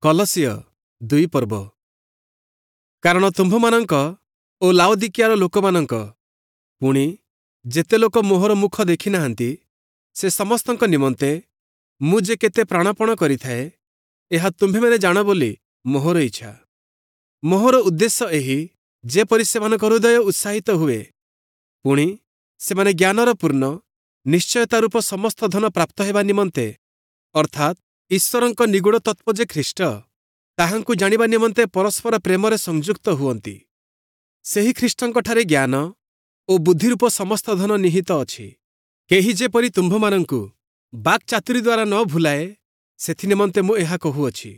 କଲସୀୟ 2 ପର୍ବ। କାରଣ ତୁମ୍ଭମାନଙ୍କ ଓ ଲାଓଦିକିଆର ଲୋକମାନଙ୍କ, ପୁଣି ଯେତେ ଲୋକ ମୋହର ମୁଖ ଦେଖିନାହାନ୍ତି, ସେ ସମସ୍ତଙ୍କ ନିମନ୍ତେ ମୁଁ ଯେ କେତେ ପ୍ରାଣପଣ କରିଥାଏ, ଏହା ତୁମ୍ଭେମାନେ ଜାଣ ବୋଲି ମୋହର ଇଚ୍ଛା। ମୋହର ଉଦ୍ଦେଶ୍ୟ ଏହି, ଯେପରି ସେମାନଙ୍କ ହୃଦୟ ଉତ୍ସାହିତ ହୁଏ, ପୁଣି ସେମାନେ ଜ୍ଞାନର ପୂର୍ଣ୍ଣ ନିଶ୍ଚୟତା ରୂପ ସମସ୍ତ ଧନ ପ୍ରାପ୍ତ ହେବା ନିମନ୍ତେ, ଅର୍ଥାତ୍ ଈଶ୍ୱରଙ୍କ ନିଗୂଢ଼ ତତ୍ତ୍ୱ ଯେ ଖ୍ରୀଷ୍ଟ, ତାହାଙ୍କୁ ଜାଣିବା ନିମନ୍ତେ ପରସ୍ପର ପ୍ରେମରେ ସଂଯୁକ୍ତ ହୁଅନ୍ତି। ସେହି ଖ୍ରୀଷ୍ଟଙ୍କଠାରେ ଜ୍ଞାନ ଓ ବୁଦ୍ଧିରୂପ ସମସ୍ତ ଧନ ନିହିତ ଅଛି। କେହି ଯେପରି ତୁମ୍ଭମାନଙ୍କୁ ବାକ୍ଚାତୁରୀ ଦ୍ୱାରା ନ ଭୁଲାଏ, ସେଥିନିମନ୍ତେ ମୁଁ ଏହା କହୁଅଛି।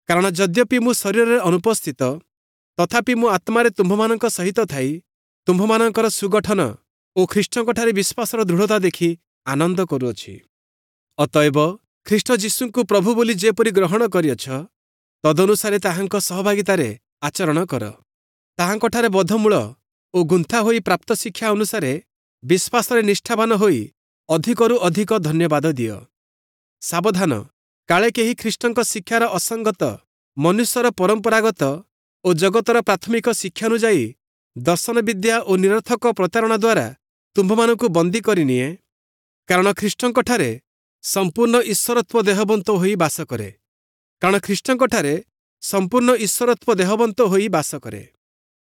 କାରଣ ଯଦ୍ୟପି ମୁଁ ଶରୀରରେ ଅନୁପସ୍ଥିତ, ତଥାପି ମୁଁ ଆତ୍ମାରେ ତୁମ୍ଭମାନଙ୍କ ସହିତ ଥାଇ ତୁମ୍ଭମାନଙ୍କର ସୁଗଠନ ଓ ଖ୍ରୀଷ୍ଟଙ୍କଠାରେ ବିଶ୍ୱାସର ଦୃଢ଼ତା ଦେଖି ଆନନ୍ଦ କରୁଅଛି। ଅତଏବ ଖ୍ରୀଷ୍ଟ ଯୀଶୁଙ୍କୁ ପ୍ରଭୁ ବୋଲି ଯେପରି ଗ୍ରହଣ କରିଅଛ, ତଦନୁସାରେ ତାହାଙ୍କ ସହଭାଗିତାରେ ଆଚରଣ କର। ତାହାଙ୍କଠାରେ ବଦ୍ଧମୂଳ ଓ ଗୁନ୍ଥା ହୋଇ ପ୍ରାପ୍ତ ଶିକ୍ଷା ଅନୁସାରେ ବିଶ୍ୱାସରେ ନିଷ୍ଠାବାନ ହୋଇ ଅଧିକରୁ ଅଧିକ ଧନ୍ୟବାଦ ଦିଅ। ସାବଧାନ, କାଳେ କେହି ଖ୍ରୀଷ୍ଟଙ୍କ ଶିକ୍ଷାର ଅସଙ୍ଗତ ମନୁଷ୍ୟର ପରମ୍ପରାଗତ ଓ ଜଗତର ପ୍ରାଥମିକ ଶିକ୍ଷାନୁଯାୟୀ ଦର୍ଶନ ବିଦ୍ୟା ଓ ନିରର୍ଥକ ପ୍ରତାରଣା ଦ୍ୱାରା ତୁମ୍ଭମାନଙ୍କୁ ବନ୍ଦୀ କରିନିଏ। କାରଣ ଖ୍ରୀଷ୍ଟଙ୍କଠାରେ ସମ୍ପୂର୍ଣ୍ଣ ଈଶ୍ୱରତ୍ୱ ଦେହବନ୍ତ ହୋଇ ବାସ କରେ। କାରଣ ଖ୍ରୀଷ୍ଟଙ୍କଠାରେ ସମ୍ପୂର୍ଣ୍ଣ ଈଶ୍ୱରତ୍ୱ ଦେହବନ୍ତ ହୋଇ ବାସ କରେ।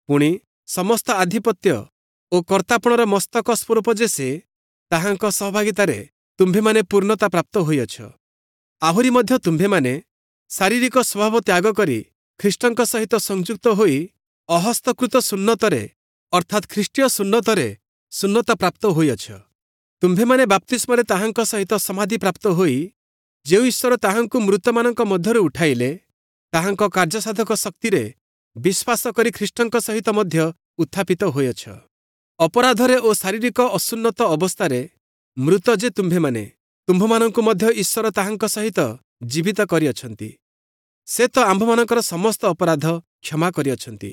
ପୁଣି ସମସ୍ତ ଆଧିପତ୍ୟ ଓ କର୍ତ୍ତାପଣର ମସ୍ତକ ସ୍ୱରୂପ ଯେ ସେ, ତାହାଙ୍କ ସହଭାଗିତାରେ ତୁମ୍ଭେମାନେ ପୂର୍ଣ୍ଣତା ପ୍ରାପ୍ତ ହୋଇଅଛ। ଆହୁରି ମଧ୍ୟ ତୁମ୍ଭେମାନେ ଶାରୀରିକ ସ୍ୱଭାବ ତ୍ୟାଗ କରି ଖ୍ରୀଷ୍ଟଙ୍କ ସହିତ ସଂଯୁକ୍ତ ହୋଇ ଅହସ୍ତକୃତ ସୁନ୍ନତରେ, ଅର୍ଥାତ୍ ଖ୍ରୀଷ୍ଟୀୟ ସୁନ୍ନତରେ ସୁନ୍ନତା ପ୍ରାପ୍ତ ହୋଇଅଛ। ତୁମ୍ଭେମାନେ ବାପ୍ତିସ୍ମରେ ତାହାଙ୍କ ସହିତ ସମାଧି ପ୍ରାପ୍ତ ହୋଇ ଯେଉଁ ଈଶ୍ୱର ତାହାଙ୍କୁ ମୃତମାନଙ୍କ ମଧ୍ୟରୁ ଉଠାଇଲେ, ତାହାଙ୍କ କାର୍ଯ୍ୟସାଧକ ଶକ୍ତିରେ ବିଶ୍ୱାସ କରି ଖ୍ରୀଷ୍ଟଙ୍କ ସହିତ ମଧ୍ୟ ଉତ୍ଥାପିତ ହୋଇଅଛ। ଅପରାଧରେ ଓ ଶାରୀରିକ ଅସୁନ୍ନତ ଅବସ୍ଥାରେ ମୃତ ଯେ ତୁମ୍ଭେମାନେ, ତୁମ୍ଭମାନଙ୍କୁ ମଧ୍ୟ ଈଶ୍ୱର ତାହାଙ୍କ ସହିତ ଜୀବିତ କରିଅଛନ୍ତି। ସେ ତ ଆମ୍ଭମାନଙ୍କର ସମସ୍ତ ଅପରାଧ କ୍ଷମା କରିଅଛନ୍ତି।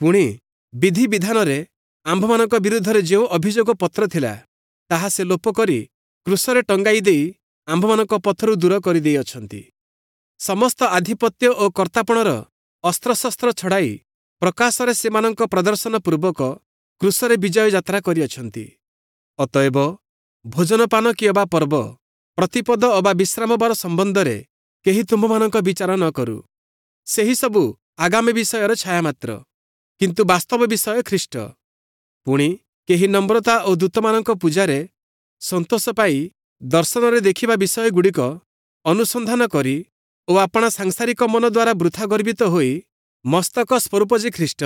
ପୁଣି ବିଧିବିଧାନରେ ଆମ୍ଭମାନଙ୍କ ବିରୁଦ୍ଧରେ ଯେଉଁ ଅଭିଯୋଗ ପତ୍ର ଥିଲା, ତାହା ସେ ଲୋପ କରି କ୍ରୁଶରେ ଟଙ୍ଗାଇ ଦେଇ ଆମ୍ଭମାନଙ୍କ ପଥରୁ ଦୂର କରିଦେଇଅଛନ୍ତି। ସମସ୍ତ ଆଧିପତ୍ୟ ଓ କର୍ତ୍ତାପଣର ଅସ୍ତ୍ରଶସ୍ତ୍ର ଛଡ଼ାଇ ପ୍ରକାଶରେ ସେମାନଙ୍କ ପ୍ରଦର୍ଶନ ପୂର୍ବକ କ୍ରୁଶରେ ବିଜୟ ଯାତ୍ରା କରିଅଛନ୍ତି। ଅତଏବ ଭୋଜନପାନ କିଅବା ପର୍ବ, ପ୍ରତିପଦ ଅବା ବିଶ୍ରାମବାର ସମ୍ବନ୍ଧରେ କେହି ତୁମ୍ଭମାନଙ୍କ ବିଚାର ନ କରୁ। ସେହି ସବୁ ଆଗାମୀ ବିଷୟର ଛାୟା ମାତ୍ର, କିନ୍ତୁ ବାସ୍ତବ ବିଷୟ ଖ୍ରୀଷ୍ଟ। ପୁଣି କେହି ନମ୍ରତା ଓ ଦୂତମାନଙ୍କ ପୂଜାରେ ସନ୍ତୋଷ ପାଇ ଦର୍ଶନରେ ଦେଖିବା ବିଷୟଗୁଡ଼ିକ ଅନୁସନ୍ଧାନ କରି ଓ ଆପଣା ସାଂସାରିକ ମନ ଦ୍ୱାରା ବୃଥା ଗର୍ବିତ ହୋଇ ମସ୍ତକ ସ୍ୱରୂପ ଯେ ଖ୍ରୀଷ୍ଟ,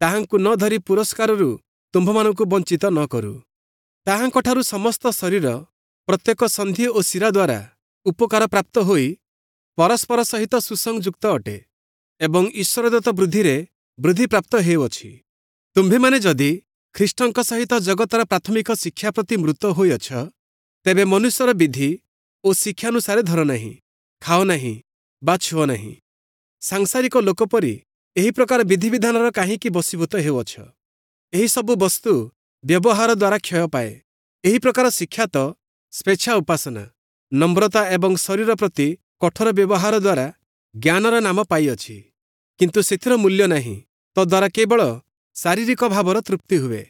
ତାହାଙ୍କୁ ନ ଧରି ପୁରସ୍କାରରୁ ତୁମ୍ଭମାନଙ୍କୁ ବଞ୍ଚିତ ନ କରୁ। ତାହାଙ୍କଠାରୁ ସମସ୍ତ ଶରୀର ପ୍ରତ୍ୟେକ ସନ୍ଧି ଓ ଶିରା ଦ୍ୱାରା ଉପକାର ପ୍ରାପ୍ତ ହୋଇ ପରସ୍ପର ସହିତ ସୁସଂଯୁକ୍ତ ଅଟେ ଏବଂ ଈଶ୍ୱରଦତ୍ତ ବୃଦ୍ଧିରେ ବୃଦ୍ଧିପ୍ରାପ୍ତ ହେଉଅଛି। ତୁମ୍ଭେମାନେ ଯଦି ଖ୍ରୀଷ୍ଟଙ୍କ ସହିତ ଜଗତର ପ୍ରାଥମିକ ଶିକ୍ଷା ପ୍ରତି ମୃତ ହୋଇଅଛ, ତେବେ ମନୁଷ୍ୟର ବିଧି ଓ ଶିକ୍ଷାନୁସାରେ ଧର ନାହିଁ, ଖାଅ ନାହିଁ ବା ଛୁଅ ନାହିଁ। ସାଂସାରିକ ଲୋକ ପରି ଏହି ପ୍ରକାର ବିଧିବିଧାନର କାହିଁକି ବଶୀଭୂତ ହେଉଅଛ? ଏହିସବୁ ବସ୍ତୁ ବ୍ୟବହାର ଦ୍ୱାରା କ୍ଷୟ ପାଏ। ଏହି ପ୍ରକାର ଶିକ୍ଷା ତ ସ୍ୱେଚ୍ଛା ଉପାସନା, ନମ୍ରତା ଏବଂ ଶରୀର ପ୍ରତି କଠୋର ବ୍ୟବହାର ଦ୍ୱାରା ଜ୍ଞାନର ନାମ ପାଇଅଛି, କିନ୍ତୁ ସେଥିର ମୂଲ୍ୟ ନାହିଁ, ତଦ୍ୱାରା କେବଳ ଶାରୀରିକ ଭାବର ତୃପ୍ତି ହୁଏ।